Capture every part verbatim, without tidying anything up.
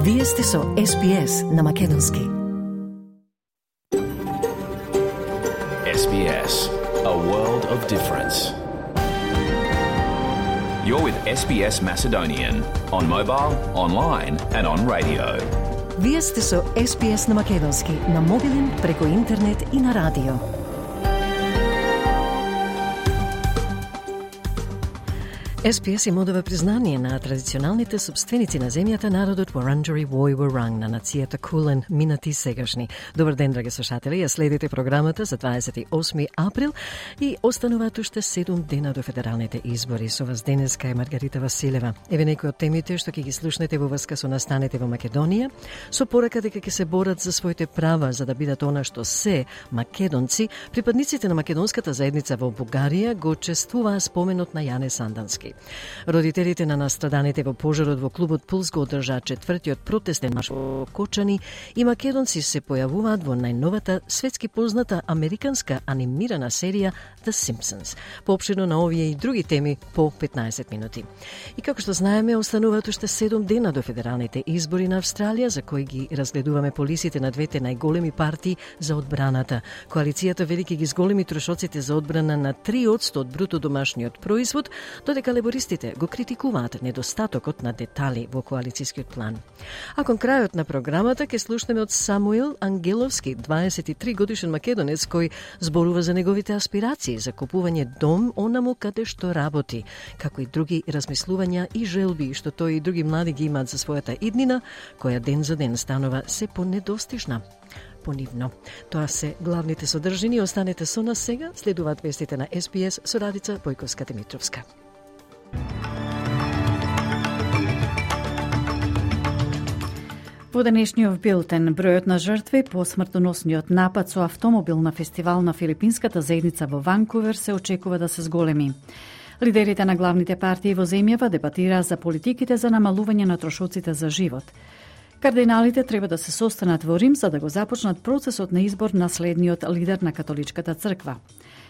Вие сте со Ес Би Ес на Македонски. Ес Би Ес, a world of difference. You're with Ес Би Ес Macedonian on mobile, online and on radio. Вие сте со Ес Би Ес на Македонски, на мобилен, преку интернет и на радио. Ес Би Ес им одава признание на традиционалните собственици на земјата, народот Вуранџари Вој Вуранг, на нацијата Кулен, минати и сегашни. Добар ден, драги слушатели, ја следите програмата за дваесет и осми април и остануваат уште седум дена до федералните избори. Со вас денеска е Маргарита Василева. Еве некои од темите што ќе ги слушнете во врска со настаните во Македонија, со порака дека ќе се борат за своите права за да бидат она што се македонци. Припадниците на македонската заедница во Бугарија го чествуваа споменот на Јане Сандански. Родителите на настраданите во пожарот во клубот Пулс го одржаа четвртиот протестен марш во Кочани и македонци се појавуваат во најновата светски позната американска анимирана серија The Simpsons. Поопширно на овие и други теми по петнаесет минути. И како што знаеме, остануваат уште седум дена до федералните избори на Австралија, за кои ги разгледуваме полисите на двете најголеми партии за одбраната. Коалицијата велики ги зголеми трошоците за одбрана на три одсто од бруто домашниот производ, додека лебористите го критикуваат недостатокот на детали во коалицијскиот план. А кон крајот на програмата ќе слушнеме од Самуил Ангеловски, дваесет и три годишен македонец кој зборува за неговите аспирации за купување дом онаму каде што работи, како и други размислувања и желби што тој и други млади ги имаат за својата иднина, која ден за ден станува се понедостижна. Понивно. Тоа се главните содржини. Останете со нас сега, следуваат вестите на Ес Би Ес со Радица Бојковска-Димитровска. Во денешниот билтен, бројот на жртви по смртоносниот напад со автомобил на фестивал на филипинската заедница во Ванкувер се очекува да се зголеми. Лидерите на главните партии во земјава дебатираа за политиките за намалување на трошоците за живот. Кардиналите треба да се состанат во Рим за да го започнат процесот на избор на следниот лидер на католичката црква.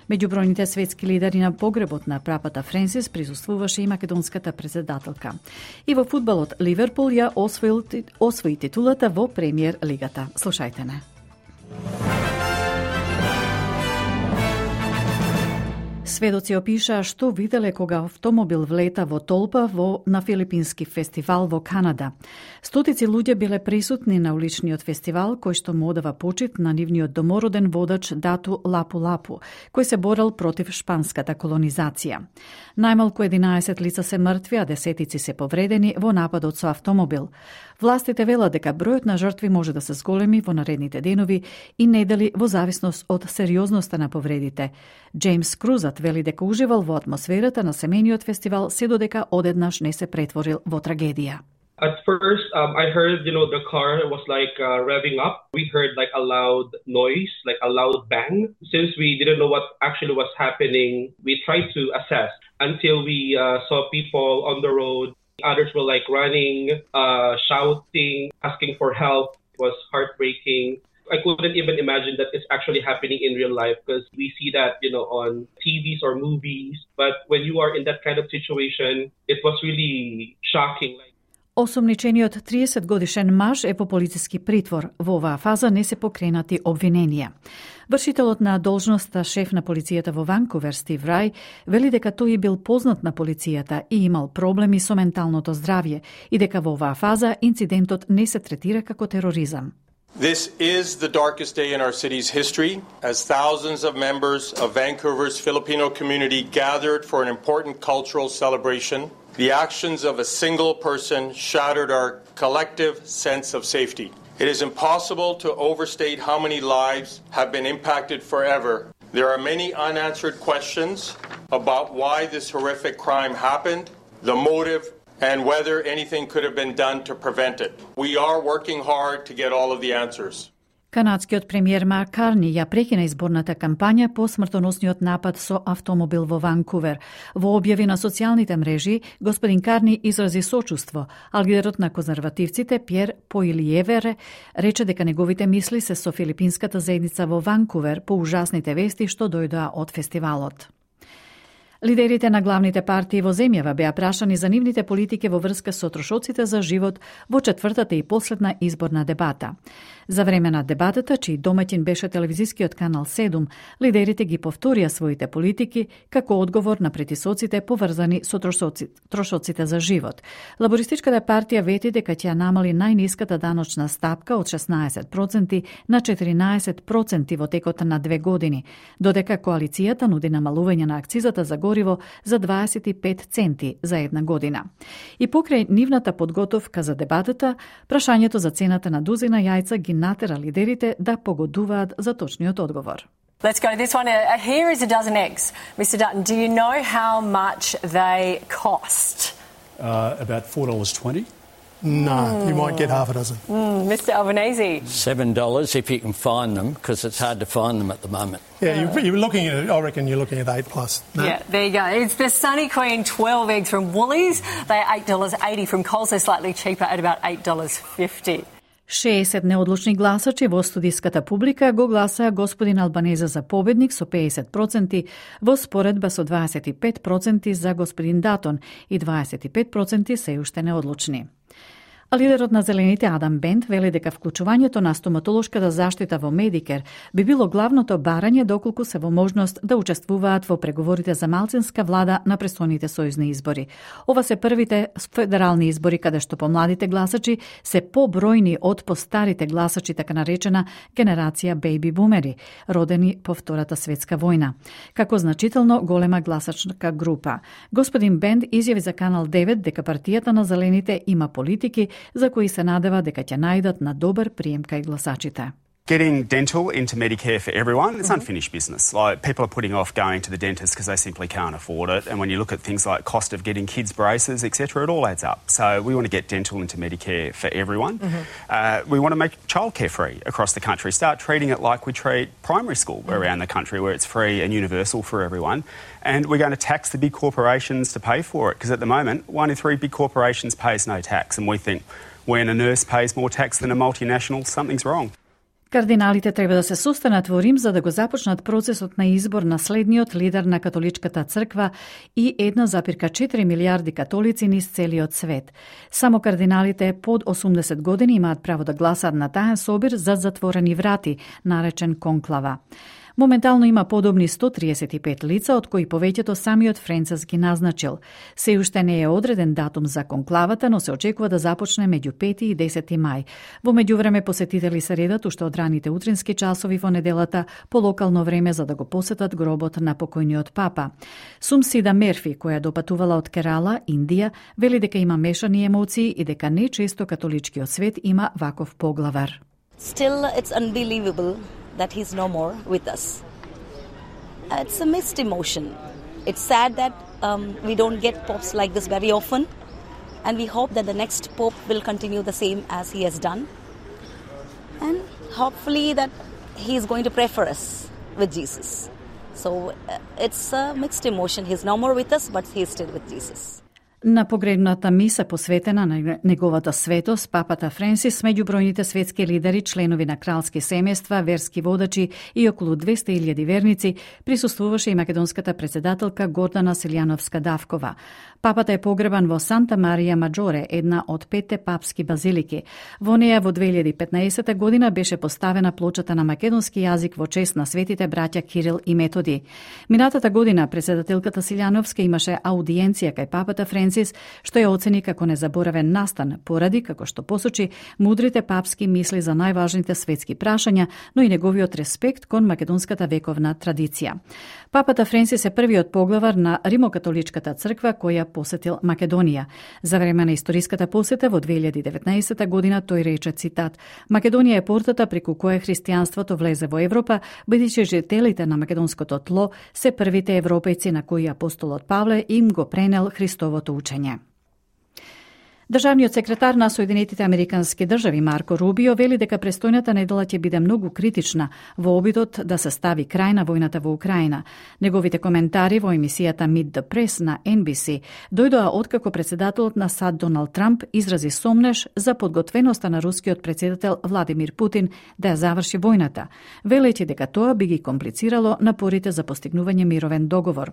Меѓу бројните светски лидери на погребот на папата Френсис присуствуваше и македонската председателка. И во фудбалот Ливерпул ја освои, освои титулата во премиер лигата. Слушајте не. Сведоци опишаа што виделе кога автомобил влета во толпа во на филипински фестивал во Канада. Стотици луѓе биле присутни на уличниот фестивал кој што му одава почит на нивниот домороден водач Дату Лапу Лапу, кој се борел против шпанската колонизација. Најмалку единаесет лица се мртви, а десетици се повредени во нападот со автомобил. Властите велат дека бројот на жртви може да се зголеми во наредните денови и недели во зависност од сериозноста на повредите. Джеймс Крузат вели дека уживал во атмосферата на семејниот фестивал се додека одеднаш не се претворил во трагедија. At first, um, I heard, you know, the car was like uh, revving up. We heard like a loud noise, like a loud bang. Since we didn't know what actually was happening, we tried to assess until we uh, saw people on the road. Others were like running, uh, shouting, asking for help. It was heartbreaking. I couldn't even imagine that it's actually happening in real life because we see that, you know, on T Vs or movies. But when you are in that kind of situation, it was really shocking. Осомничениот триесет годишен маж е во полициски притвор. Во оваа фаза не се покренати обвиненија. Вршителот на должноста шеф на полицијата во Ванкувер, Стив Рај, вели дека тој бил познат на полицијата и имал проблеми со менталното здравје и дека во оваа фаза инцидентот не се третира како тероризам. This is the darkest day in our city's history, as thousands of members of Vancouver's Filipino community gathered for an important cultural celebration. The actions of a single person shattered our collective sense of safety. It is impossible to overstate how many lives have been impacted forever. There are many unanswered questions about why this horrific crime happened, the motive, and whether anything could have been done to prevent it. We are working hard to get all of the answers. Канадскиот премиер Марк Карни ја прекина изборната кампања по смртоносниот напад со автомобил во Ванкувер. Во објави на социјалните мрежи, господин Карни изрази сочувство, а лидерот на конзервативците Пјер Поилиевер рече дека неговите мисли се со филипинската заедница во Ванкувер по ужасните вести што дојдоа од фестивалот. Лидерите на главните партии во земјава беа прашани за нивните политики во врска со трошоците за живот во четвртата и последна изборна дебата. За време на дебатата, чиј домаќин беше телевизискиот канал седум, лидерите ги повторија своите политики како одговор на притисоците поврзани со трошоци, трошоците за живот. Лабористичката партија вети дека ќе намали најниската даночна стапка од шеснаесет проценти на четиринаесет проценти во текот на две години, додека коалицијата нуди намалување на акцизата за гориво за дваесет и пет центи за една година. И покрај нивната подготовка за дебатата, прашањето за цената на дузина јајца ги натера лидерите да погодуваат за точниот одговор. Let's go to this one. Uh, here is a dozen eggs. Mister Dutton, do you know how much they cost? Uh, about four dollars twenty. No, mm. you might get half a dozen. Mm, Mister Albanese. seven dollars if you can find them, because it's hard to find them at the moment. Yeah, you're, you're looking at, I reckon you're looking at eight plus. No? Yeah, there you go. It's the Sunny Queen twelve eggs from Woolies. They're eight dollars eighty from Coles. They're slightly cheaper at about eight dollars fifty. шеесет неодлучни гласачи во студиската публика го гласаа господин Албанезе за победник со педесет проценти во споредба со дваесет и пет проценти за господин Датон и дваесет и пет проценти се уште неодлучни. А лидерот на Зелените Адам Бент вели дека вклучувањето на стоматолошката заштита во Медикер би било главното барање доколку се во можност да учествуваат во преговорите за малцинска влада на престојните сојузни избори. Ова се првите федерални избори каде што помладите гласачи се побројни од постарите гласачи, така наречена генерација бејби бумери, родени по Втората светска војна, како значително голема гласачка група. Господин Бент изјави за Канал девет дека партијата на Зелените има политики за кои се надева дека ќе најдат на добар прием кај гласачите. Getting dental into Medicare for everyone, it's unfinished business. Like, people are putting off going to the dentist because they simply can't afford it. And when you look at things like cost of getting kids braces, et cetera, it all adds up. So we want to get dental into Medicare for everyone. Mm-hmm. Uh, we want to make childcare free across the country. Start treating it like we treat primary school mm-hmm. around the country, where it's free and universal for everyone. And we're going to tax the big corporations to pay for it, because at the moment, one in three big corporations pays no tax. And we think when a nurse pays more tax than a multinational, something's wrong. Кардиналите треба да се состанат во Рим за да го започнат процесот на избор на следниот лидер на католичката црква и една запирка четири милиарди католици низ целиот свет. Само кардиналите под осумдесет години имаат право да гласаат на таен собир за затворени врати, наречен конклава. Моментално има подобни сто триесет и пет лица, од кои повеќето самиот Френцис ги назначил. Се уште не е одреден датум за конклавата, но се очекува да започне меѓу пети и десети мај. Во меѓувреме посетители се редат уште од раните утрински часови во неделата по локално време за да го посетат гробот на покојниот папа. Сумсида Мерфи, која допатувала од Керала, Индија, вели дека има мешани емоции и дека не често католичкиот свет има ваков поглавар. Still, it's unbelievable that he's no more with us. Uh, it's a mixed emotion. It's sad that um, we don't get popes like this very often, and we hope that the next pope will continue the same as he has done, and hopefully that he is going to pray for us with Jesus. So uh, it's a mixed emotion. He's no more with us, but he is still with Jesus. На погребната миса посветена на неговата светост, папата Френсис, меѓу бројните светски лидери, членови на кралски семејства, верски водачи и околу двесте илјади верници, присуствуваше и македонската председателка Гордана Силјановска-Давкова. Папата е погребан во Санта Марија Маджоре, една од петте папски базилики. Во неја во две илјади и петнаесета година беше поставена плочата на македонски јазик во чест на светите браќа Кирил и Методи. Минатата година председателката Силјановска имаше аудиенција кај папата Френсис, што ја оцени како незаборавен настан, поради, како што посочи, мудрите папски мисли за најважните светски прашања, но и неговиот респект кон македонската вековна традиција. Папата Френсис е првиот поглавар на Римокатоличката црква која посетил Македонија. За време на историската посета во две илјади и деветнаесета година тој рече, цитат: "Македонија е портата преку која христијанството влезе во Европа, бидејќи жителите на македонското тло се првите европејци на кои апостолот Павле им го пренел Христовото учење." Државниот секретар на Соединетите Американски држави Марко Рубио вели дека престојната недела ќе биде многу критична во обидот да се стави крај на војната во Украина. Неговите коментари во емисијата Meet the Press на Ен Би Си дојдоа откако председателот на САД Доналд Трамп изрази сомнеш за подготвеноста на рускиот председател Владимир Путин да ја заврши војната, велејќи дека тоа би ги комплицирало напорите за постигнување мировен договор.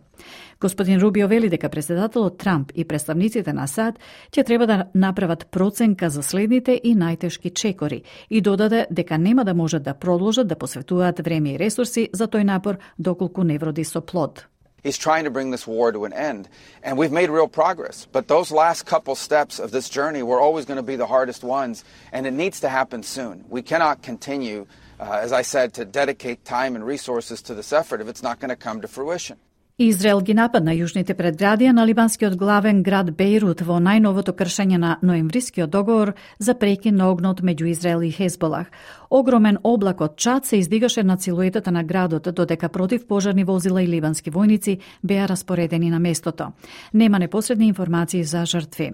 Господин Рубио вели дека председателот Трамп и представниците на САД ќе треба да направат проценка за следните и најтешки чекори и додаде дека нема да можат да продолжат да посветуваат време и ресурси за тој напор доколку не вроди со плод. He's trying to bring this war to an end, and we've made real progress. But those last couple steps of this journey were always going to be the hardest ones, and it needs to happen soon. We cannot continue, uh, as I said, to dedicate time and resources to this effort if it's not going to come to fruition. Израел ги нападна јужните предградија на либанскиот главен град Бејрут во најновото кршење на ноемврискиот договор за прекин на огнот меѓу Израел и Хезболах. Огромен облак од чад се издигаше над силуетата на градот, додека противпожарни возила и ливански војници беа распоредени на местото. Нема непосредни информации за жртви.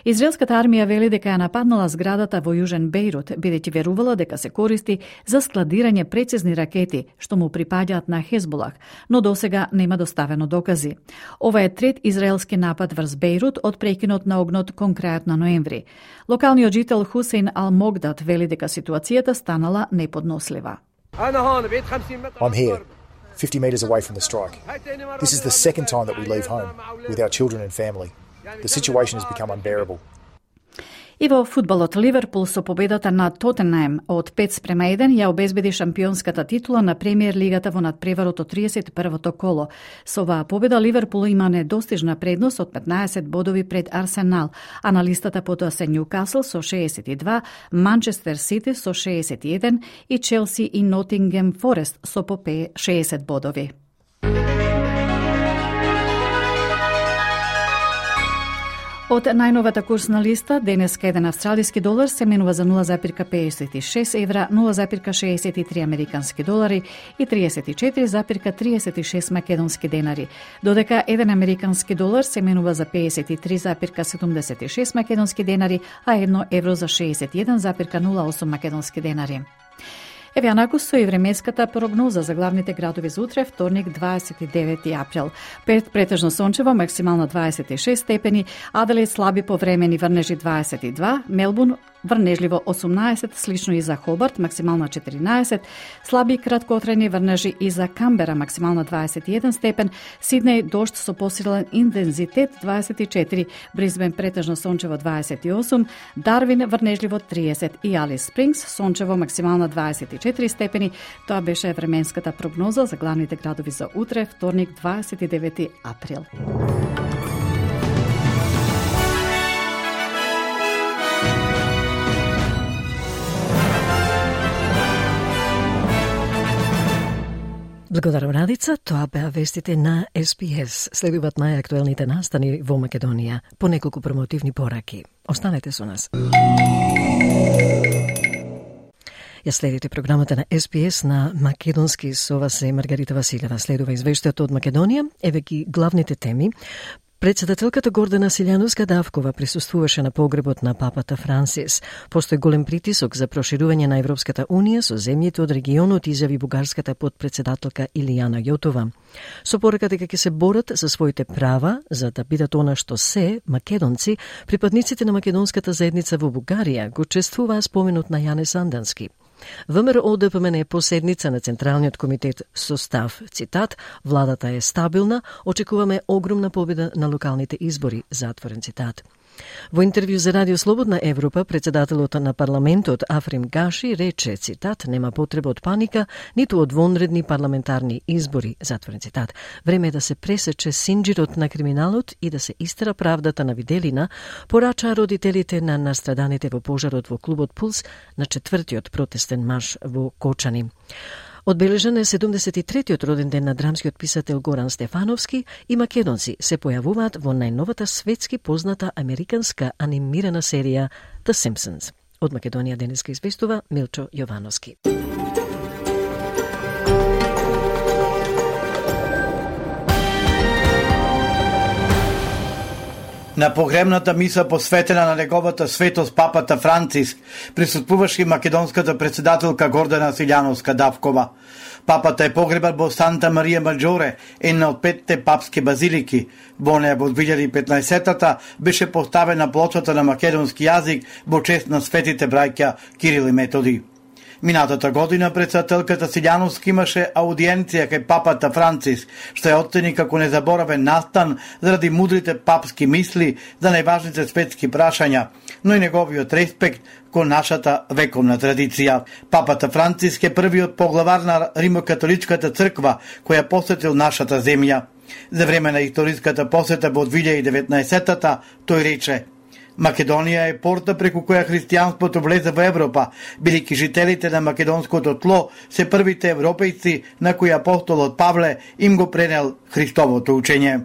Израелската армија вели дека ја нападнала зградата во јужен Бејрут, бидејќи верувала дека се користи за складирање прецизни ракети, што му припаѓаат на Хезболах, но досега нема доставено докази. Ова е трет израелски напад врз Бејрут од прекинот на огнот кон крајот на ноември. Локалниот жител Хусейн Ал-Могдат вели дека ситуацијата станала неподнослива. I'm here, fifty metres away from the strike. This is the second time that we leave home with our children and family. The situation has become unbearable. И во фудбалот Ливерпул со победата на Тотенхем од пет спрема еден ја обезбеди шампионската титула на премиер лигата во надпреварот од триесет и првото коло. Со оваа победа Ливерпул има недостижна предност од петнаесет бодови пред Арсенал, а на листата потоа се Њукасл со шеесет и два, Манчестер Сити со шеесет и еден и Челси и Нотингем Форест со по шеесет бодови. Од најновата курсна листа, денеска еден австралиски долар се менува за нула запирка педесет и шест евра, нула запирка шеесет и три американски долари и триесет и четири запирка триесет и шест македонски денари, додека еден американски долар се менува за педесет и три запирка седумдесет и шест македонски денари, а едно евро за шеесет и еден запирка нула осум македонски денари. Еве анаку со и временската прогноза за главните градови за утре, вторник, дваесет и девети април. Пет претежно сончево, максимално дваесет и шест степени, Аделаид слаби повремени врнежи дваесет и два, Мелбурн врнежливо осумнаесет, слично и за Хобарт, максимално четиринаесет, слаби краткотрajни врнежи и за Камбера, максимално дваесет и еден степен, Сиднеј дожд со посилен интензитет дваесет и четири, Брисбен претежно сончево дваесет и осум, Дарвин врнежливо триесет и Алис Спрингс сончево максимално дваесет и четири степени. Тоа беше временската прогноза за главните градови за утре, вторник, дваесет и девети април. Благодарам, Радица. Тоа беа вестите на Ес Би Ес. Следуваат најактуелните настани во Македонија по неколку промотивни пораки. Останете со нас. Ја следите програмата на Ес Би Ес на македонски. Со вас е Маргарита Василева. Следува извештајот од Македонија. Еве ги главните теми. Председателката Гордана Силјановска-Давкова присуствуваше на погребот на папата Франсис. Постои голем притисок за проширување на Европската Унија со земјите од регионот, изјави бугарската подпредседателка Илијана Јотова. Со порака дека ќе се борат за своите права, за да бидат она што се, македонци, припадниците на македонската заедница во Бугарија го чествуваа споменот на Јане Сандански. ВМРО Д П М Н е поседница на Централниот комитет со став, цитат, владата е стабилна, очекуваме огромна победа на локалните избори, затворен цитат. Во интервју за Радио Слободна Европа, председателот на парламентот Африм Гаши рече, цитат, нема потреба од паника, ниту од вонредни парламентарни избори, затворен цитат. Време е да се пресече синџирот на криминалот и да се истера правдата на Виделина, порачаа родителите на настраданите во пожарот во клубот Пулс на четвртиот протестен марш во Кочани. Одбележан е седумдесет и третиот роден ден на драмскиот писател Горан Стефановски и македонци се појавуваат во најновата светски позната американска анимирана серија The Simpsons. Од Македонија денеска известува Милчо Јовановски. На погребната миса посветена на неговата светост папата Франциск присуствуваше и македонската председателка Гордана Силјановска-Давкова. Папата е погребан во Санта Марија Маджоре, една од петте папски базилики. Во неја во две илјади и петнаесетта беше поставена плочата на македонски јазик во чест на светите браќа Кирил и Методи. Минатата година председателката Силјановска имаше аудиенција кај папата Франциск, што ја оцени како незаборавен настан заради мудрите папски мисли за најважните светски прашања, но и неговиот респект кон нашата вековна традиција. Папата Франциск е првиот поглавар на Римокатоличката црква која посетил нашата земја. За време на историската посета во две илјади и деветнаесетта тој рече: Македонија е порта преку која христијанството влезе во Европа, бидејќи жителите на македонското тло се првите европејци на кои апостолот Павле им го пренел Христовото учење.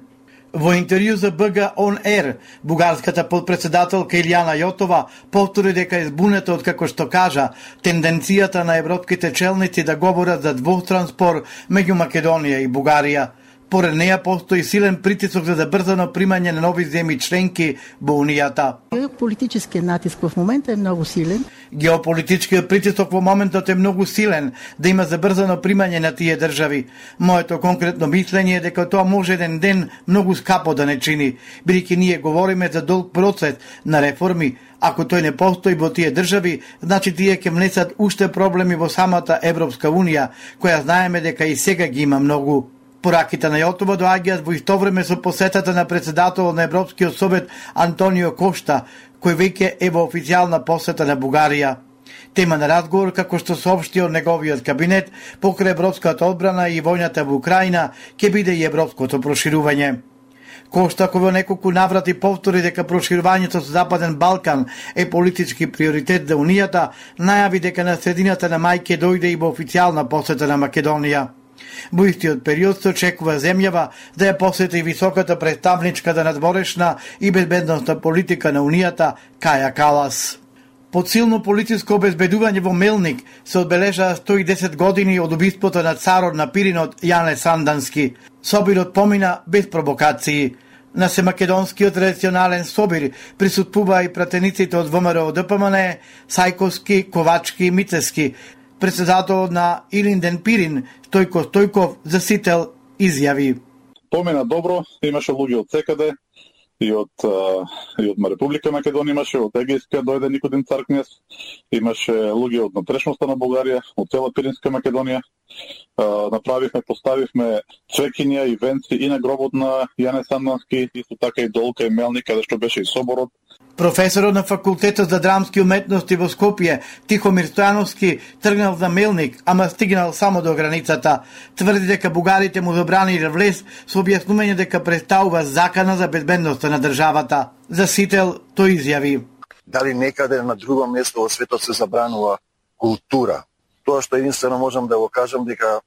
Во интервју за Б Г Он Ер, бугарската подпредседателка Илјана Јотова повтори дека е збунета од, како што кажа, тенденцијата на европските челници да говорат за двостран спор меѓу Македонија и Бугарија. Поред неја постои силен притисок за забрзано примање на нови земји членки во Унијата. Геополитичкиот натиск во моментот е многу силен. Геополитичкиот притисок во моментот е многу силен да има забрзано примање на тие држави. Моето конкретно мислење е дека тоа може еден ден многу скапо да не чини, бидејќи ние говориме за долг процес на реформи. Ако тој не постои во тие држави, значи тие ќе внесат уште проблеми во самата Европска Унија, која знаеме дека и сега ги има многу. Пораките на Јотова доаѓаат во исто време со посетата на председателот на Европскиот совет Антонио Кошта, кој веќе е во официјална посета на Бугарија. Тема на разговор, како што соопшти од неговиот кабинет, покрај европската одбрана и војната во Украина, ќе биде и европското проширување. Кошта, кој во неколку наврати повтори дека проширувањето со Западен Балкан е политички приоритет за Унијата, најави дека на средината на мај ќе дојде и во официјална посета на Македонија. Во истиот период се очекува земјава да ја посети високата представничката надворешна и безбедносна политика на Унијата Каја Калас. Под силно политичко обезбедување во Мелник се одбележаа сто и десет години од убиството на царот на Пиринот Јане Сандански. Собирот помина без провокации. На семакедонскиот традиционален собир присуствуваа и пратениците од Вэ М Р О Д П М Н, Сајковски, Ковачки и Мицески. Председателот на Илинден Пирин, Стојко Стојков, за Сител, изјави: Помина добро, имаше луѓе од секаде, и од, и од Република Македонија имаше, од Егејска дојде Никодим Царкнес, имаше луѓе од натрешноста на Бугарија, од цела Пиринска Македонија. Направивме, поставивме цвекиња и венци и на гробот на Јане Сандански, исто така и долка и мелник, каде што беше и соборот. Професорот на факултетот за драмски уметности во Скопје, Тихомир Стојановски, тргнал за Мелник, ама стигнал само до границата. Тврди дека бугарите му забраниле влез со објаснување дека представува закана за безбедноста на државата. За Сител тој изјави: Дали некаде на друго место во светот се забранува култура? Тоа што единствено можам да го кажам дека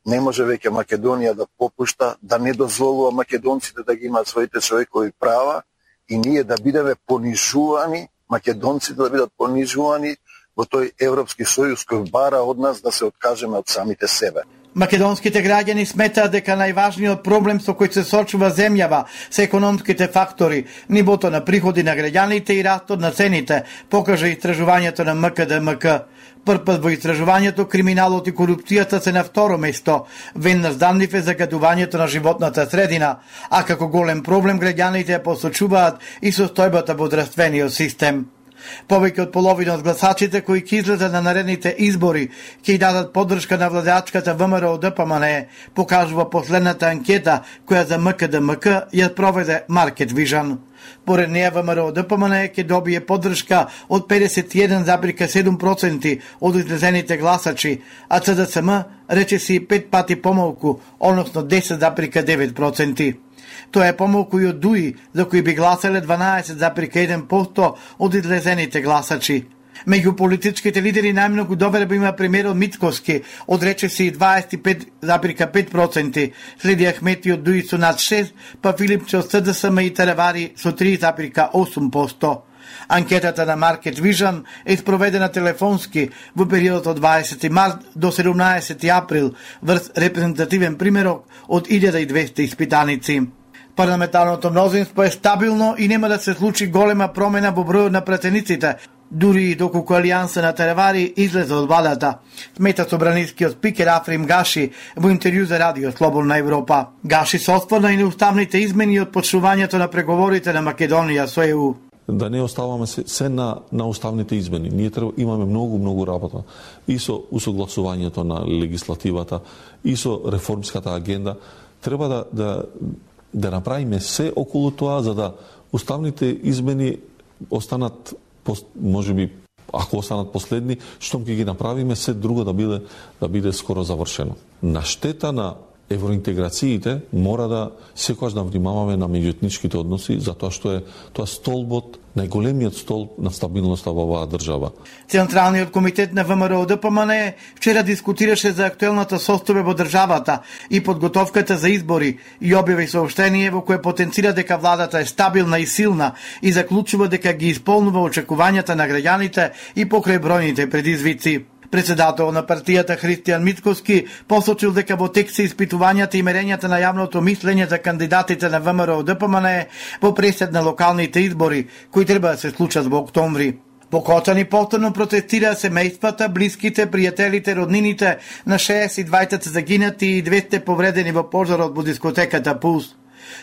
не може веќе Македонија да попушта, да не дозволува македонците да ги имаат своите човекови права и ние да бидеме понижувани, македонците да бидат понижувани во тој Европски сојуз кој бара од нас да се откажеме од самите себе. Македонските граѓани сметаат дека најважниот проблем со кој се сочува земјава се економските фактори, нивото на приходи на граѓаните и растот на цените, покажа истражувањето на М К Д М К. Првпат во истражувањето криминалот и корупцијата се на второ место, веднаш даннив е загадувањето на животната средина, а како голем проблем граѓаните ја посочуваат и состојбата во здравствениот систем. Повеќе од половина од гласачите кои ќе излезат на наредните избори ќе дадат поддршка на владеачката Вэ М Р О Д П М Н, покажува последната анкета која за М К Д М К ја проведе Market Vision. Поред неја Вэ М Р О Д П М Н ќе добие поддршка од педесет и еден зарез седум проценти од излезените гласачи, а Ц Д С М речиси пет пати помалку, односно десет зарез девет проценти. Тоа е помалку и од Дуи, за кои би гласале дванаесет зарез еден проценти од излезените гласачи. Меѓу политичките лидери најмногу доверба има премиерот Мицкоски, од речиси дваесет и пет зарез пет проценти, следи Ахмети од Дуи со над шест, па Филипче од С Д С М и Теревари со три зарез осум проценти. Анкетата на Market Vision е спроведена телефонски во периодот од дваесети март до седумнаесети април врз репрезентативен примерок од илјада и двесте испитаници. Парламентарното мнозинство е стабилно и нема да се случи голема промена во бројот на пратениците, дури и доколку Алијанса на Теревари излезе од владата, смета собранискиот спикер Африм Гаши во интервју за Радио Слободна Европа. Гаши се осврна и неуставните измени од почнувањето на преговорите на Македонија со Е У. Да не оставаме се, се на, на уставните измени. Ние треба, имаме многу, многу работа и со усогласувањето на легислативата, и со реформската агенда. Треба да, да, да направиме се околу тоа, за да уставните измени останат, може би, ако останат последни, штом ќе ги направиме, се друго да биде, да биде скоро завршено. На штета на евроинтеграциите мора да секогаш да внимаваме на меѓуетничките односи, затоа што е тоа столбот, најголемиот столб на стабилноста во оваа држава. Централниот комитет на ВМРО Д П М Н вчера дискутираше за актуелната состојба во државата и подготовката за избори и објави соопштение во кое потенцира дека владата е стабилна и силна и заклучува дека ги исполнува очекувањата на граѓаните и покрај бројните предизвици. Председател на партијата Христијан Мицковски посочил дека во тек се испитувањата и мерењата на јавното мислење за кандидатите на ВМРО Д П М Н во пресед на локалните избори, кои треба да се случат во октомври. Во Кочани повторно протестираа семејствата, блиските, пријателите, роднините на шеесет и двајца загинати и двесте повредени во пожарот во дискотеката Пулс.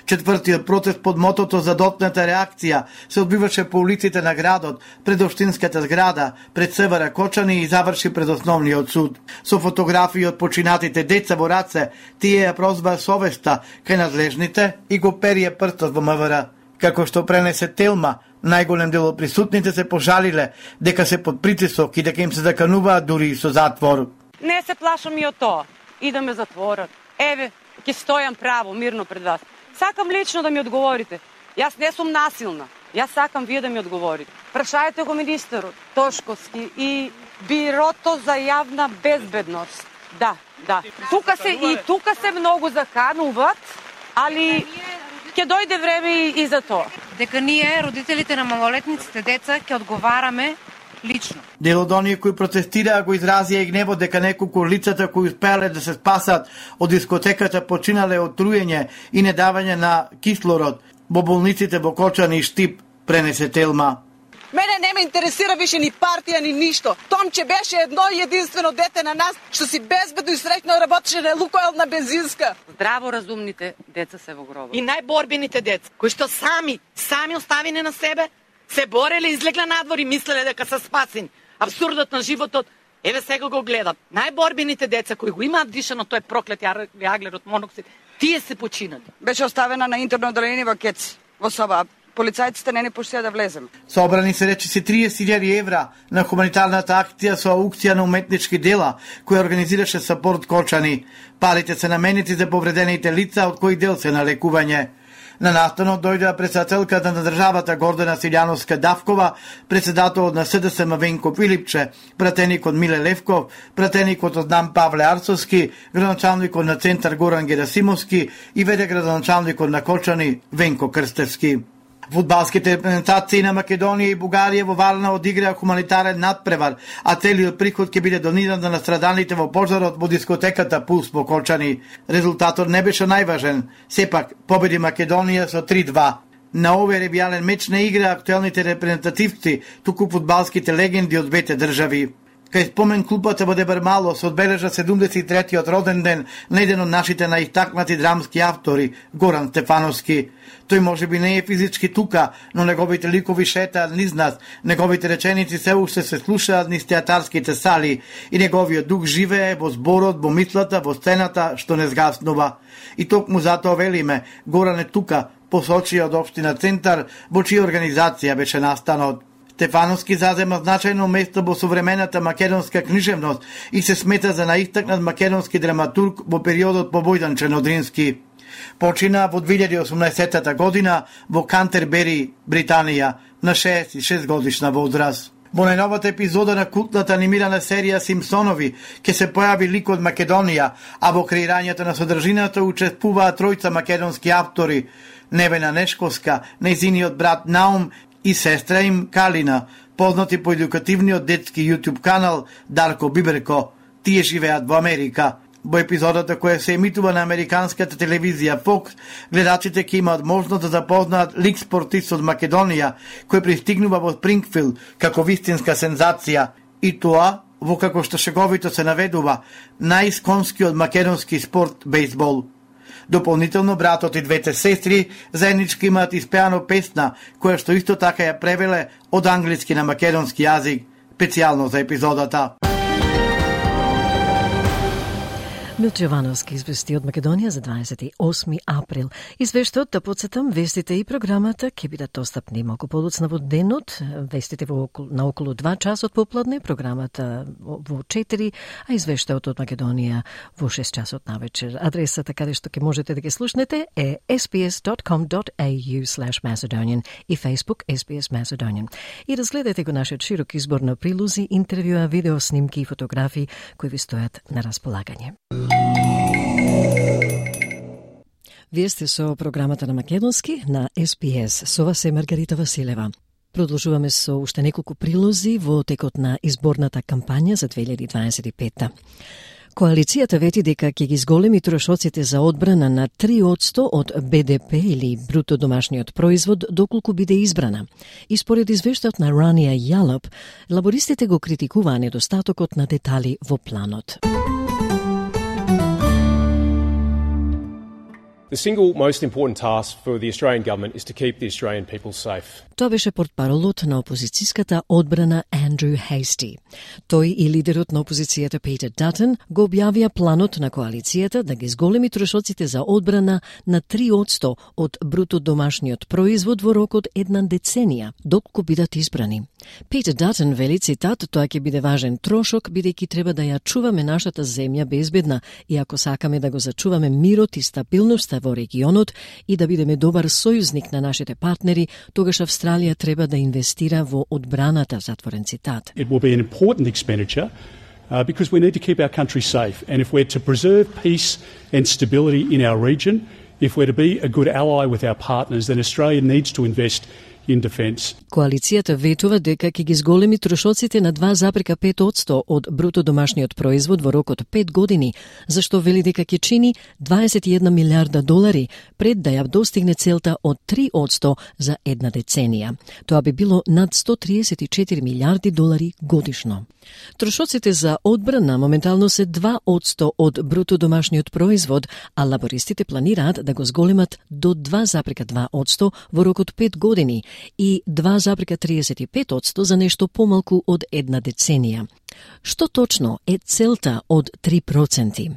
Четвртиот протест под мотото за дотната реакција се одбиваше по улиците на градот, пред општинската зграда, пред СВР Кочани и заврши пред основниот суд. Со фотографии од починатите деца во раце, тие ја прозва совеста кај надлежните и го перие прстот во М В Р. Како што пренесе Телма, најголем дел од присутните се пожалиле дека се под притисок и дека им се закануваат дури и со затвор. Не се плашам и од тоа. Идаме затворот. Еве, ќе стојам право, мирно пред вас. Сакам лично да ми одговорите. Јас не сум насилна. Јас сакам вие да ми одговорите. Прашајте го министерот Тошковски и Бирото за јавна безбедност. Да, да. Тука се и тука се многу закануваат, али ќе дојде време и за тоа. Дека ние, родителите на малолетниците деца, ќе одговараме лично. Дел од оние кои протестираа го изразија и гневот дека неколку од лицата кои успеале да се спасат од дискотеката починале од труење и недавање на кислород во болниците во Кочани и Штип, пренесе Телма. Мене не ме интересира више ни партија, ни ништо. Томче беше едно единствено дете на нас, што си безбедно и среќно работеше на Лукойл на бензинска. Здраво разумните деца се во гробот. И најборбените деца, кои што сами, сами оставени на себе, се бореле, излегла надвор и мислеле дека се спасени. Абсурдот на животот, еве сега го гледам. Најборбените деца кои го имаат дишано тој проклет јаглерод моноксид, тие се починали. Беше оставена на интерно одделение во Кец, во соба. Полицајците не ни пуштија да влезем. Собрани се речиси триесет илјади евра на хуманитарната акција со аукција на уметнички дела, која организираше Сапорт Кочани. Парите се наменети за повредените лица, од кои дел се на лекување. На настанот дојдоа председателката на државата Гордана Силјановска-Давкова, председателот на С Д С М Венко Филипче, пратеникот Миле Левков, пратеникот од НАМ Павле Арцовски, градоначалникот на Центар Горан Герасимовски и веде градоначалникот на Кочани Венко Крстевски. Фудбалските репрезентации на Македонија и Бугарија во Варна одиграа хуманитарен надпревар, а целиот приход ќе биде дониран на настраданите во пожарот во дискотеката Пулс во Кочани. Резултатот не беше најважен, сепак победи Македонија со три два. На овој ревијален меч не играа актуелните репрезентативци, туку фудбалските легенди од двете држави. Кај спомен клубата во Дебармало се одбележа седумдесет и третиот роден ден на еден од нашите најистакнати драмски автори, Горан Стефановски. Тој може би не е физички тука, но неговите ликови шетаат низ нас, неговите реченици се уште се слушаат низ театарските сали и неговиот дух живее во зборот, во мислата, во сцената што не згаснува. И токму затоа велиме, Горан е тука, посочи од општина Центар, во чија организација беше настанот. Стефановски зазема значајно место во современата македонска книжевност и се смета за најистакнат македонски драматург во периодот по Војдан Одрински. Почина во две илјади и осумнаесетта година во Кантербери, Британија, на шеесет и шест годишна возраст. Во најновата епизода на култната анимирана серија Симпсонови ќе се појави лик од Македонија, а во креирањето на содржината учествуваат тројца македонски автори: Невена Нешковска, нејзиниот брат Наум и сестра им Калина, познати по едукативниот детски YouTube канал Дарко Биберко. Тие живеат во Америка. Во епизодата која се емитува на американската телевизија Fox, гледачите ќе имаат можност да запознаат лик спортист од Македонија, кој пристигнува во Спрингфилд како вистинска сензација, и тоа во како што шеговито се наведува најисконскиот македонски спорт бейсбол. Дополнително братот и двете сестри заеднички имаат испеано песна, која што исто така ја превеле од англиски на македонски јазик, специјално за епизодата. Милче Јовановски извести од Македонија за дваесет и осми април. Извештаот, да подсетам, вестите и програмата ќе бидат достапни малку подоцна во денот, вестите во околу, на околу два часот попладне, програмата во четири, а извештаот од Македонија во шест часот навечер. Адресата каде што ќе можете да ги слушнете е ес би ес dot com dot a u slash macedonian и Facebook ес би ес Macedonian. И разгледате го нашиот широк избор на прилози, интервјуа, видео снимки и фотографии кои ви стојат на располагање. Вие сте со програмата на Македонски на ес би ес. Со вас е Маргарита Василева. Продолжуваме со уште неколку прилози во текот на изборната кампања за две илјади дваесет и петта. Коалицијата вети дека ќе ги зголеми трошоците за одбрана на три одсто од Б Д П или бруто домашниот производ доколку биде избрана. И според извештаот на Рания Јалоп, лабористите го критикуваа недостатокот на детали во планот. The single most important task for the Australian government is to keep the Australian people safe. Тоа беше портпаролот на опозицијската одбрана Андрю Хейсти. Тој и лидерот на опозицијата Питер Датън го објавија планот на коалицијата да ги зголеми трошоците за одбрана на три одсто од бруто домашниот производ во рок од една деценија, доколку бидат избрани. Питер Датън вели, цитат, тоа ќе биде важен трошок, бидејќи треба да ја чуваме нашата земја безбедна и ако сакаме да го зачуваме мирот и стабилноста во регионот и да бидеме добар сојузник на нашите партнери, тогаш Австралија треба да инвестира во одбраната, затворен цитат. It will be an important expenditure uh, because we need to keep our country safe, and if we're to preserve peace and stability in our region, if we're to be a good ally with our partners, then Australia needs to invest in defence. Коалицијата ветува дека ќе ги зголеми трошоците на два запирка пет одсто од бруто домашниот производ во рок од пет години, зашто вели дека ќе чини дваесет и една милиарда долари пред да ја достигне целта од три одсто за една деценија. Тоа би било над сто триесет и четири милиарди долари годишно. Трошоците за одбрана моментално се два одсто од бруто домашниот производ, а лабористите планираат да го зголемат до два запирка два одсто во рок од пет години и два запирка триесет и пет одсто за нешто помалку од една деценија. Што точно е целта од три проценти?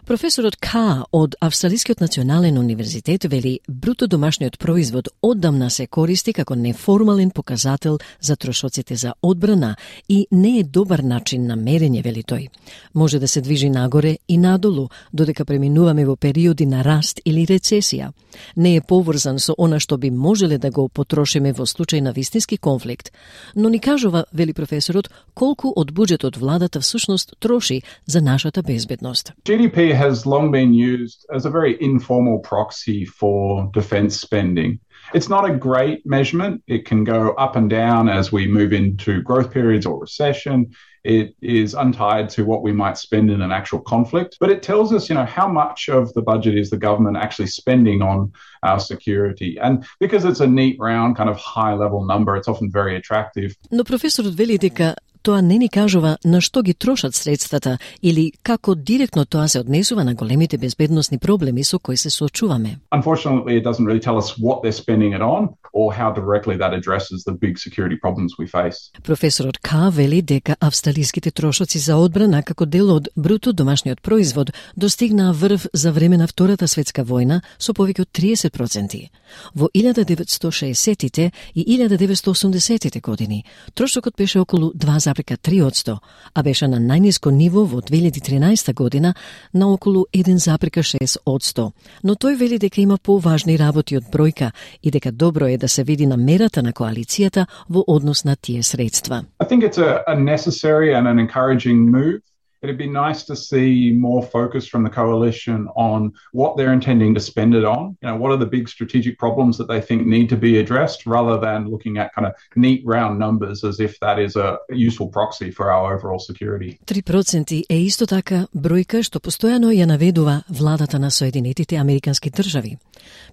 Професорот Ка од Австралискиот национален универзитет вели бруто домашниот производ оддамна се користи како неформален показател за трошоците за одбрана и не е добар начин на мерење, вели тој. Може да се движи нагоре и надолу, додека преминуваме во периоди на раст или рецесија. Не е поврзан со она што би можеле да го потрошиме во случај на вистински конфликт, но ни кажува, вели професорот, колку од буџетот владата всушност троши за нашата безбедност. G D P has long been used as a very informal proxy for defence spending. It's not a great measurement. It can go up and down as we move into growth periods or recession. It is untied to what we might spend in an actual conflict. But it tells us, you know, how much of the budget is the government actually spending on our security. And because it's a neat, round, kind of high-level number, it's often very attractive. Но професорот вели дека тоа не ни кажува на што ги трошат средствата или како директно тоа се однесува на големите безбедносни проблеми со кои се соочуваме. Unfortunately, it doesn't really tell us what they're spending it on or how directly that addresses the big security problems we face. Професорот Ка вели дека австралиските трошоци за одбрана како дел од бруто домашниот производ достигнаа врв за време на Втората светска војна со повеќе од триесет проценти. Во илјада деветстотини и шеесеттите и илјада деветстотини и осумдесеттите години трошокот беше околу два запирка три одсто, а беше на најниско ниво во две илјади и тринаесетта година на околу еден запирка шест одсто. Но тој вели дека има поважни работи од бројка и дека добро е да се види намерата на коалицијата во однос на тие средства. I think it's a, a necessary and an encouraging move. it'd be nice to see more focus from the coalition on what they're intending to spend it on. You know, what are the big strategic problems that they think need to be addressed, rather than looking at kind of neat round numbers as if that is a useful proxy for our overall security. три проценти е исто така бројка што постојано ја наведува владата на Соединетите Американски држави.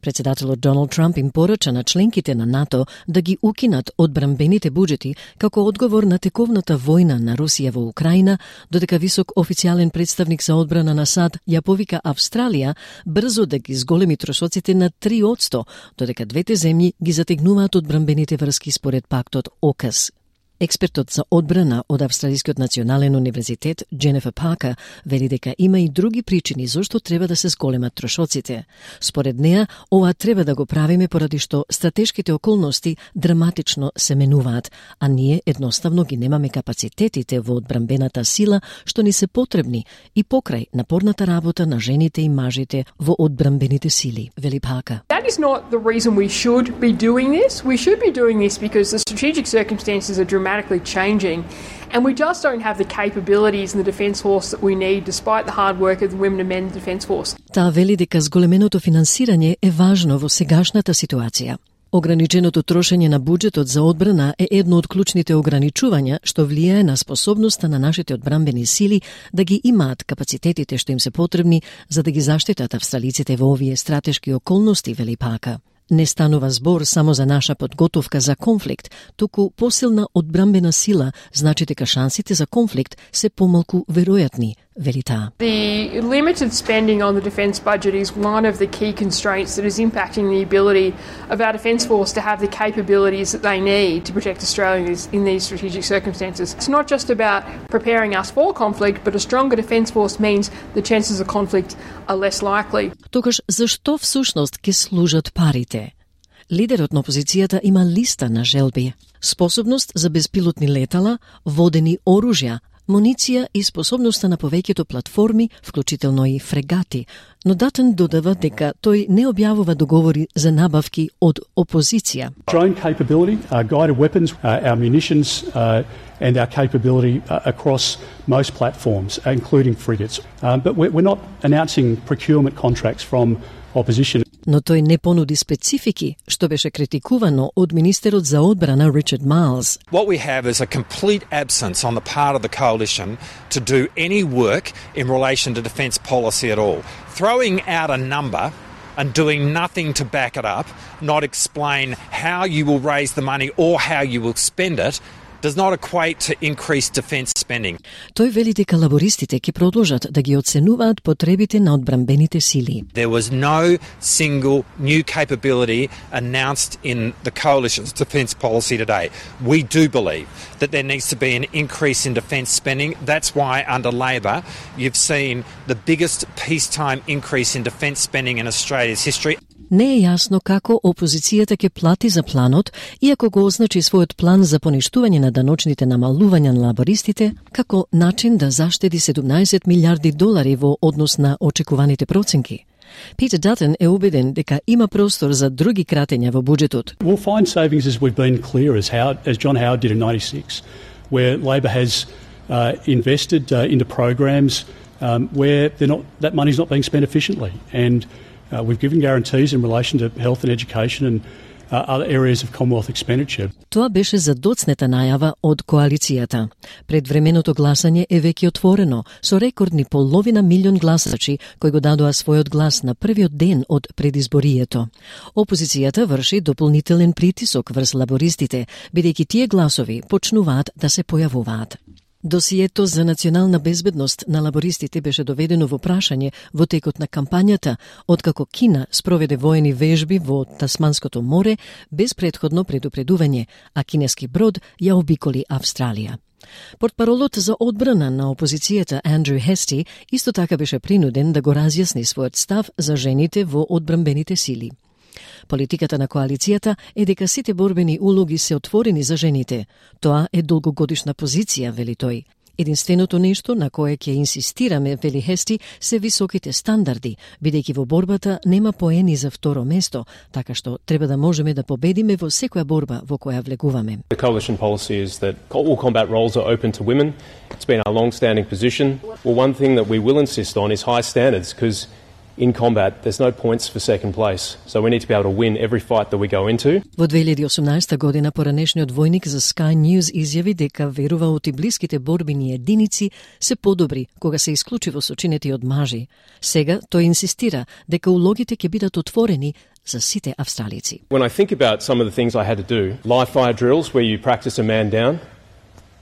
Председателот Доналд Трамп им порача на членките на НАТО да ги укинат одбранбените буџети како одговор на тековната војна на Русија во Украина, додека висок официјален представник за одбрана на САД ја повика Австралија брзо да ги зголеми трошоците на три одсто, додека двете земји ги затегнуваат одбранбените врски според пактот ОКАС. Експертот за одбрана од Австралискиот национален универзитет Дженефер Паркер вели дека има и други причини зошто треба да се зголемат трошоците. Според неа, ова треба да го правиме поради што стратешките околности драматично се менуваат, а ние едноставно ги немаме капацитетите во одбранбената сила што ни се потребни и покрај напорната работа на жените и мажите во одбранбените сили, вели Паркер. That is not the reason we should be doing this. We should be doing this because the strategic circumstances are dramatic changing, and we just don't have the capabilities in the Defence Force that we need, despite the hard work of the women and men in the Defence Force. Таа вели дека зголеменото финансирање е важно во сегашната ситуација. Ограниченото трошење на буџетот за одбрана е едно од клучните ограничувања што влијае на способноста на нашите одбранбени сили да ги имаат капацитетите што им се потребни за да ги заштитат австралиците во овие стратешки околности, вели Паркер. Не станува збор само за наша подготовка за конфликт, туку посилна одбранбена сила значи дека шансите за конфликт се помалку веројатни, вели таа. The limited spending on the defence budget is one of the key constraints that is impacting the ability of our defence force to have the capabilities that they need to protect Australia in these strategic circumstances. It's not just about preparing us for conflict, but a stronger defence force means the chances of conflict are less likely. Тогаш зашто всушност ќе служат парите? Лидерот на опозицијата има листа на желби. Способност за безпилотни летала, водени оружја, муниција и способноста на повеќето платформи, вклучително и фрегати, но Датен додава дека тој не објавува договори за набавки од опозиција. Drone capability, uh, guided weapons, uh, our munitions uh, and our capability uh, across most platforms, including frigates. Um, but we're, we're not announcing procurement contracts from opposition. Но тој не понуди специфики, што беше критикувано од министерот за одбрана Ричард Майлз. What we have is a complete absence on the part of the coalition to do any work in relation to defence policy at all. Throwing out a number and doing nothing to back it up, not explain how you will raise the money or how you will spend it, does not equate to increased defence spending. Тој вели дека лабористите ќе продолжат да ги оценуваат потребите на одбранбените сили. There was no single new capability announced in the coalition's defence policy today. We do believe that there needs to be an increase in defence spending. That's why under Labor you've seen the biggest peacetime increase in defence spending in Australia's history. Не е јасно како опозицијата ќе плати за планот, иако го означи својот план за поништување на даночните намалувања на лабористите, како начин да заштеди седумнаесет милиарди долари во однос на очекуваните проценки. Питер Датен е убеден дека има простор за други кратења во буџетот. We'll find savings as we've been clear as Howard, as John Howard did in ninety-six, where Labor has uh, invested uh, into programs um, where they're not, that money's not being spent efficiently, and Uh, we've given guarantees in relation to health and education and uh, other areas of Commonwealth expenditure. Тоа беше за доцнета најава од коалицијата. Предвременото гласање е веќе отворено, со рекордни половина милион гласачи кои го дадоа својот глас на првиот ден од предизборието. Опозицијата врши дополнителен притисок врз лабористите, бидејќи тие гласови почнуваат да се појавуваат. Досието за национална безбедност на лабористите беше доведено во прашање во текот на кампањата, откако Кина спроведе воени вежби во Тасманското море без претходно предупредување, а кинески брод ја обиколи Австралија. Портпаролот за одбрана на опозицијата Андрю Хести исто така беше принуден да го разјасни својот став за жените во одбранбените сили. Политиката на коалицијата е дека сите борбени улоги се отворени за жените. Тоа е долгогодишна позиција, вели тој. Единственото нешто на кое ќе инсистираме, вели Хести, се високите стандарди, бидејќи во борбата нема поени за второ место, така што треба да можеме да победиме во секоја борба во која влегуваме. The coalition policy is that all combat roles are open to women. It's been our long-standing position. Well, one thing that we will insist on is high standards, because in combat, there's no points for second place. So we need to be able to win every fight that we go into. Во две илјади и осумнаесета година поранешниот војник за Sky News изјави дека верува оти блиските борбени единици се подобри кога се исклучиво сочинети од мажи. Сега тој инсистира дека улогите ќе бидат отворени за сите австралици. When I think about some of the things I had to do, live fire drills where you practice a man down,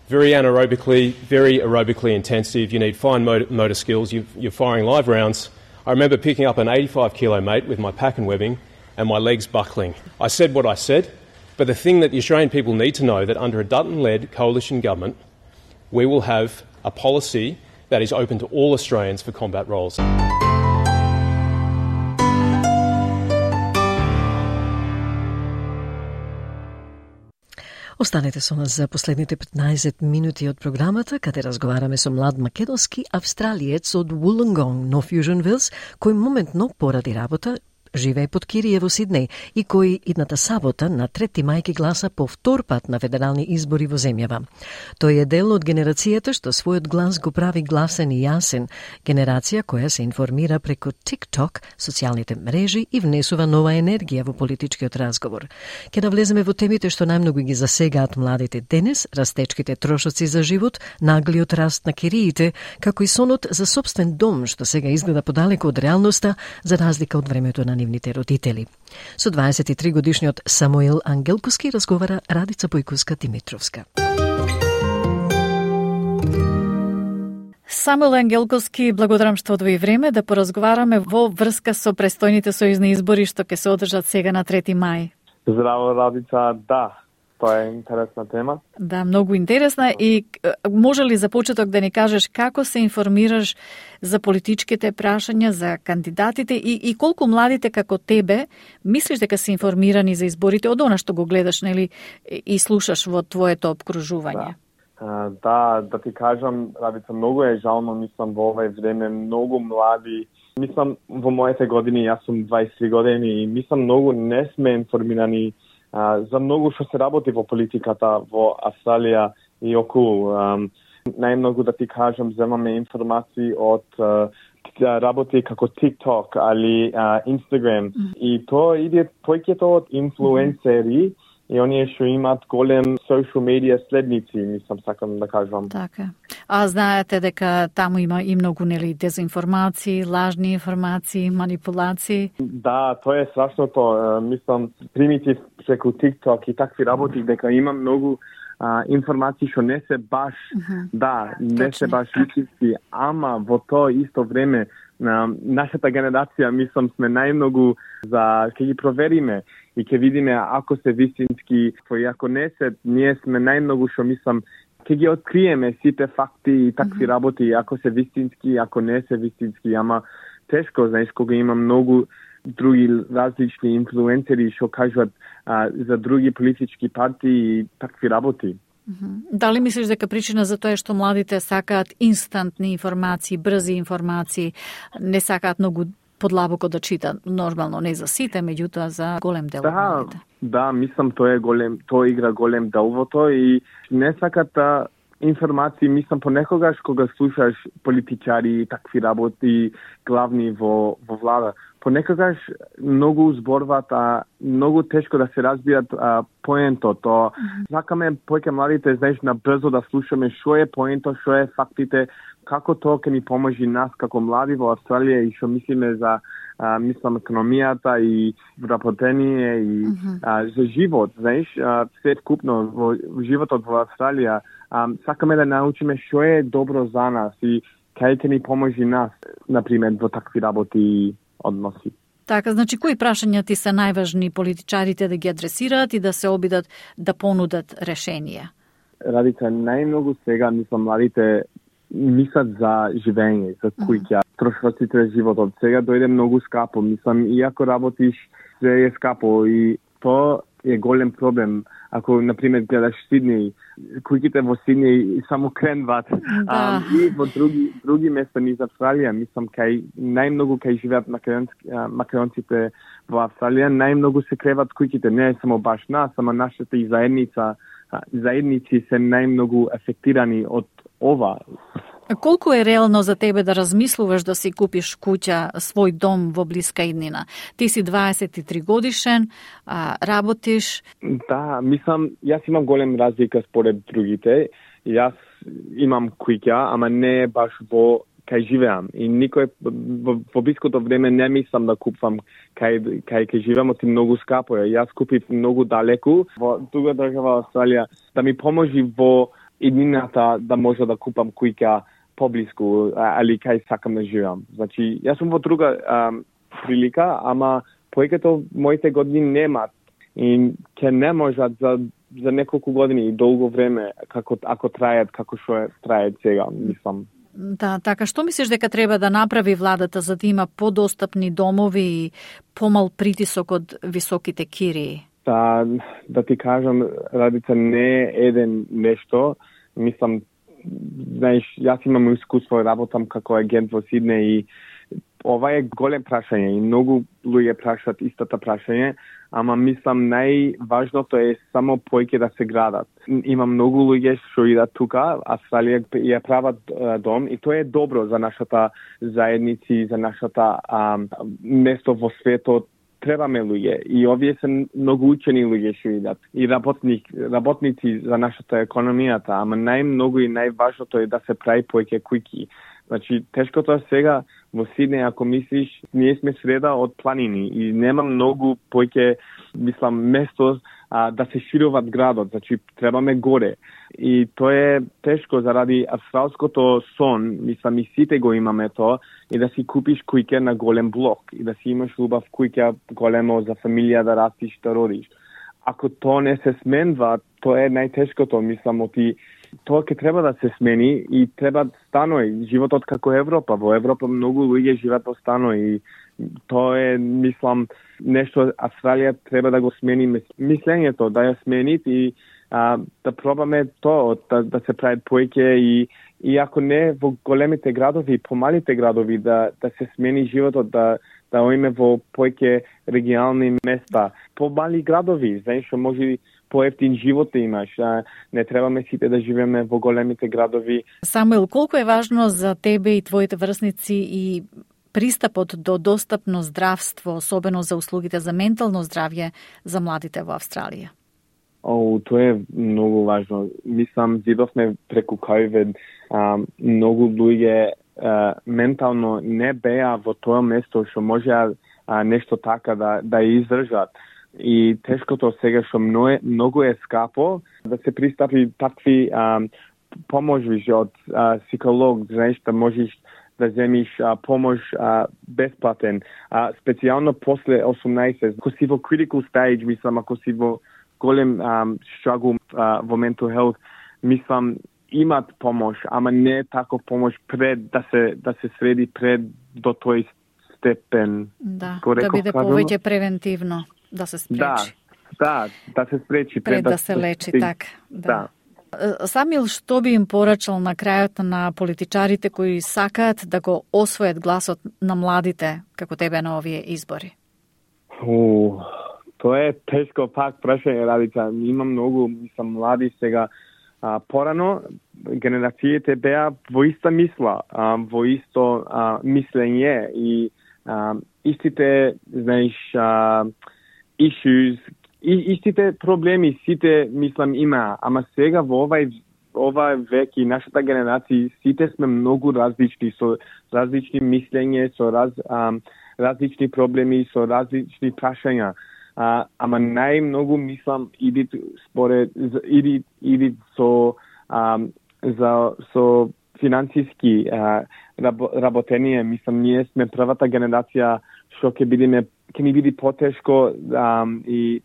very anaerobically, very aerobically intensive, you need fine motor, motor skills, you, you're firing live rounds. I remember picking up an eighty-five kilo mate with my pack and webbing and my legs buckling. I said what I said, but the thing that the Australian people need to know that under a Dutton-led coalition government, we will have a policy that is open to all Australians for combat roles. Останете со нас за последните петнаесет минути од програмата, каде разговараме со млад македонски австралиец од Wollongong, North Fusion Wills, кој моментно поради работа живее под кирие во Сиднеј и кој идната сабота на трети мај ќе гласа по втор пат на федерални избори во земјава. Тој е дел од генерацијата што својот глас го прави гласен и јасен, генерација која се информира преку TikTok, социјалните мрежи и внесува нова енергија во политичкиот разговор. Ќе навлеземе во темите што најмногу ги засегаат младите денес, растечките трошоци за живот, наглиот раст на кириите, како и сонот за сопствен дом што сега изгледа подалеку од реалноста за разлика од времето на нивните родители. Со дваесет и три годишниот Самуил Ангелковски разговара Радица Бојковска-Димитровска. Самуил Ангелковски, благодарам што одвои време да поразговараме во врска со престојните сојузни избори што ќе се одржат сега на трети мај. Здраво, Радица, да. Тоа е интересна тема. Да, многу интересна. И може ли за почеток да ни кажеш како се информираш за политичките прашања, за кандидатите и, и колку младите како тебе мислиш дека се информирани за изборите од она што го гледаш, нели, и слушаш во твоето обкружување? Да, да, да ти кажам, Радица, многу е жално, мислам, во овој време многу млади, мислам, во моите години, јас сум дваесет и три години и мислам, многу не сме информирани Uh, за многу што се работи во политиката во Австралија и околу. Um, најмногу да ти кажам, земаме информации од uh, работи како TikTok али uh, Instagram. Mm. И тоа иде појќето од инфлуенсери и оние што имаат голем social media следници, мислам, сакам да кажам. Така. А знаете дека таму има и многу, нели, дезинформации, лажни информации, манипулации? Да, тоа е страшното. Мислам, примитив преку TikTok и такви работи, дека има многу а, информации што не се баш, uh-huh. да, не Точно. Се баш истински, ама во тоа исто време на нашата генерација, мислам, сме најмногу за ќе ги провериме и ќе видиме ако се вистински, и ако не се, ние сме најмногу што мислам ќе ги откриеме сите факти и такви mm-hmm. работи, ако се вистински, ако не се вистински, ама тешко, знаеш, кога има многу други различни инфлуенсери што кажуваат а, за други политички партии и такви работи. Mm-hmm. Дали мислиш дека причина за тоа е што младите сакаат инстантни информации, брзи информации, не сакаат многу подлабоко да чита, нормално не за сите, меѓутоа за голем дел од да, младите? Да, мислам тоа е голем, тоа игра голем дел во тоа и не сакат информации, мислам понекогаш кога слушаш политичари и такви работи главни во во влада, понекогаш многу зборваат, а многу тешко да се разбират а, поентот. То сакаме поќе младите, знаеш, на брзо да слушаме што е поентот, што е фактите, како тоа ќе ни поможи нас како млади во Австралија и што мислиме за а, мислам економијата и вработение и uh-huh. а, за живот, знаеш, а, се вкупно во животот во Австралија. А, сакаме да научиме што е добро за нас и кај ќе ни поможи нас, например, во такви работи и односи. Така, значи, кои прашања ти се најважни политичарите да ги адресираат и да се обидат да понудат решенија? Радица, најмногу сега, мислам, младите мислат за живење, за куќа, трошоците на животот. Сега дојде многу скапо, мислам, иако работиш, се е скапо и тоа е голем проблем. ако на пример гледаш Сиднеј, куќите во Сиднеј само кренват. Да. Um, и во други други места низ Австралија, мислам кај најмногу кај живеат македонците во Австралија, најмногу се креват куќите, не е само баш нас, ама нашата и заедница, заедници се најмногу афектирани од ова. Колку е реално за тебе да размислуваш да си купиш куќа, свој дом во блиска иднина? Ти си дваесет и три годишен, а, работиш. Да, мислам, јас имам голем разлика според другите. Јас имам куќа, ама не баш во кај живеам. И никој во, во блиското време не мислам да купувам кај кај кај живеам, оти многу скапо е. Јас купив многу далеку во друга држава Австралија да ми поможи во иднината да може да купам куќа поблиску, али кај сакам да живеам. Значи, јас сум во друга а, прилика, ама повеќето моите години немат и ќе не можат за за неколку години и долго време како ако трајат како што трајат сега, мислам. Да, така, што мислиш дека треба да направи владата за да има подостапни домови и помал притисок од високите кирии? Да, да ти кажам, Радица, не е еден нешто. Мислам, знаеш, јас имам искуство, работам како агент во Сиднеј и ова е голем прашање и многу луѓе прашаат истата прашање, ама мислам најважното е само поеќе да се градат. Има многу луѓе што идат тука, Австралија ја прават дом и тоа е добро за нашата заедници, за нашата а, место во светот. Требаме луѓе и овие се многу учени луѓе што идат и работник, работници за нашата економијата, ама најмногу и најважното е да се прави поеќе куќи. Значи, тешкото е сега во Сиднеј, ако мислиш, ние сме среда од планини и нема многу поеќе, мислам, место а, да се шируват градот, значи требаме горе. И тоа е тешко заради австралското сон, мислам и сите го имаме тоа, и да си купиш куќа на голем блок и да си имаш убав куќа големо за фамилија да растиш, да родиш. Ако тоа не се сменва, тоа е најтешкото, мислам, оти тоа ќе треба да се смени и треба станои, животот како Европа. Во Европа многу луѓе живеат во станои и тоа е, мислам, нешто Австралија треба да го смени мислењето, да ја сменит и а, да пробаме тоа, да, да се прават поеќе и, и ако не во големите градови, помалите градови, да, да се смени животот, да да оиме во поеќе регионални места, помали градови, знаеш, што може поевтин живот да имаш, а не требаме сите да живееме во големите градови. Самуел, колку е важно за тебе и твоите врсници и пристапот до достапно здравство, особено за услугите за ментално здравје за младите во Австралија? О, тоа е многу важно. Мислам, видовме преку ковид, а, многу луѓе а, ментално не беа во тоа место што може а, нешто така да, да издржат. И тешкото сега што многу, многу е скапо да се пристапи такви а, поможи од а, психолог, знаеш, да можеш да земиш а, помош а, бесплатен, а, специјално после осумнаесет. Ако си во critical stage, мислам, ако си во голем um, struggle uh, во mental health, мислам, имат помош, ама не таков помош пред да се да се среди пред до тој степен. Да, да биде повеќе превентивно, да се спречи. Да, да, да се спречи пред, пред да, да се лечи, така. Да. да. Самил, што би им порачал на крајот на политичарите кои сакаат да го освојат гласот на младите, како тебе на овие избори? У, тоа е тешко пак прашање, Радица. Има многу, мислам, млади сега. А, порано, генерациите беа во иста мисла, а, во исто а, мислење и а, истите, знаеш, а, issues, и, истите проблеми, сите, мислам, има. Ама сега во овај, овај век и нашата генерација, сите сме многу различни, со различни мислење, со раз, а, различни проблеми, со различни прашања. А, ама најмногу мислам иди според иди иди со а, за со финансиски а, работење. Мислам, ние сме првата генерација што ќе бидеме ќе ни биде потешко um, и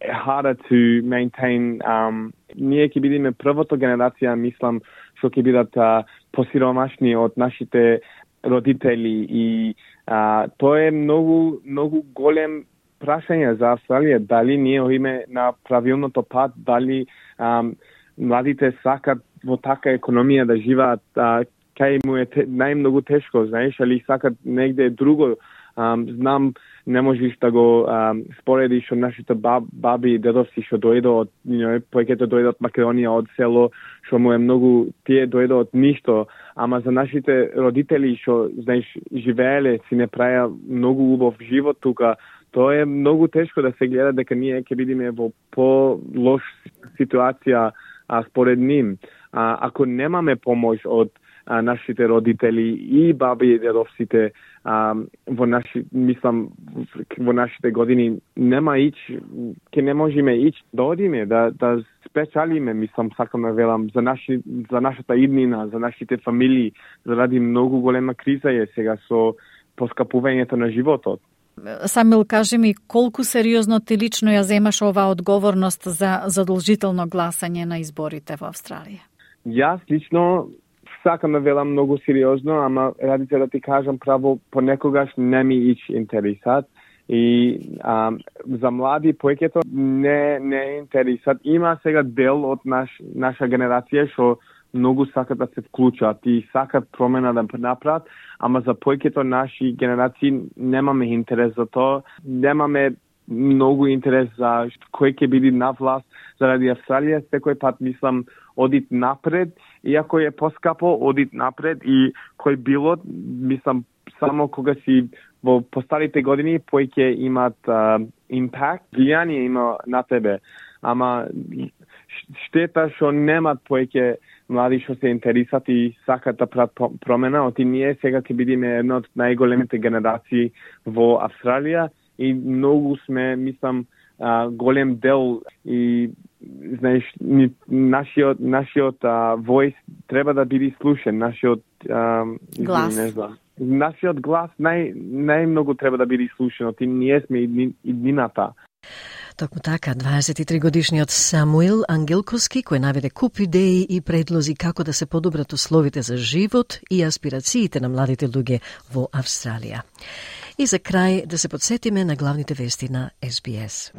harder to maintain. Um, ние ќе бидеме првата генерација, мислам, што ќе бидат uh, посиромашни од нашите родители и uh, тоа е многу многу голем прашање за Австралија, дали ние одиме на правилното пат, дали ам, младите сакат во така економија да живеат, а, кај му е те, најмногу тешко, знаеш, али сакат негде друго. Um, знам, не можеш да го um, споредиш од нашите баб, баби и дедовци што дојдо од, you know, повеќето дојдо од Македонија, од село, што му е многу, тие дојдо од ништо, ама за нашите родители што, знаеш, живееле, си не праја многу убав живот тука, тоа е многу тешко да се гледа дека ние ќе бидеме во по-лош ситуација а, според ним. А, ако немаме помош од а, нашите родители и баби и дедовците, а, во наши, мислам, во нашите години нема ич, ке не можеме ич да одиме, да, да спечалиме, мислам, сакам да велам, за, наши, за нашата иднина, за нашите фамилии, заради многу голема криза е сега со поскапувањето на животот. Самил, кажи ми, колку сериозно ти лично ја земаш оваа одговорност за задолжително гласање на изборите во Австралија? Јас лично сакам да велам многу сериозно, ама ради се да ти кажам право, понекогаш не ми ич интересат и а, за млади повеќето не не интересат. Има сега дел од наш наша генерација што многу сакат да се вклучат и сакат промена да направат, ама за повеќето наши генерации немаме интерес за тоа, немаме многу интерес за кој ќе биде на власт заради Австралија. Секој пат мислам одит напред, иако е поскапо, одит напред и кој било, мислам, само кога си во постарите години повеќе имат uh, импакт, влијание има на тебе. Ама штета што немат повеќе млади што се интересат и сакат да прават промена, оти ние сега ќе бидеме една од најголемите генерации во Австралија и многу сме, мислам, а, голем дел и знаеш, нашиот нашиот а, војс треба да биде слушен, нашиот а, глас. Не знам. Нашиот глас нај најмногу треба да биде слушен, оти ние сме иднината. Токму така, дваесет и три годишниот Самуил Ангелковски, кој наведе куп идеи и предлози како да се подобрат условите за живот и аспирациите на младите луѓе во Австралија. И за крај да се подсетиме на главните вести на Ес Би Ес.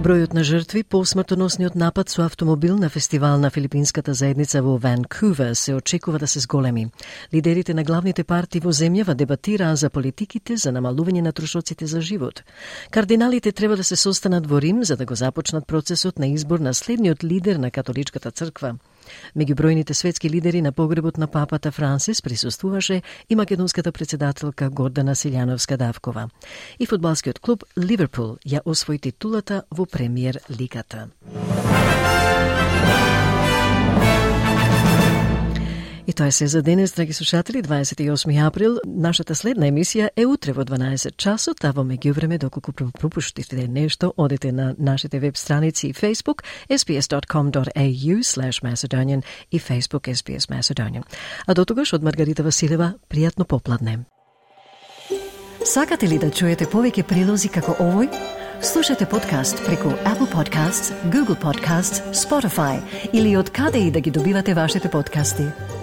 Бројот на жртви по смртоносниот напад со автомобил на фестивал на филипинската заедница во Ванкувер се очекува да се зголеми. Лидерите на главните партии во земјава дебатираа за политиките за намалување на трошоците за живот. Кардиналите треба да се состанат во Рим за да го започнат процесот на избор на следниот лидер на католичката црква. Меѓу бројните светски лидери на погребот на папата Франсис присуствуваше и македонската председателка Гордана Силјановска-Давкова. И фудбалскиот клуб Ливерпул ја освои титулата во премиер лигата. И тоа е се за денес, драги слушатели, дваесет и осми април. Нашата следна емисија е утре во дванаесет часот, а во меѓувреме, доколку пропуштите нешто, одете на нашите веб страници и Facebook ес би ес точка ком точка ей ю слеш Macedonian и Facebook ес би ес Macedonian. А до тогаш од Маргарита Василева, пријатно попладне. Сакате ли да чуете повеќе прилози како овој? Слушате подкаст преку Apple Podcasts, Google Podcasts, Spotify или од каде и да ги добивате вашите подкасти.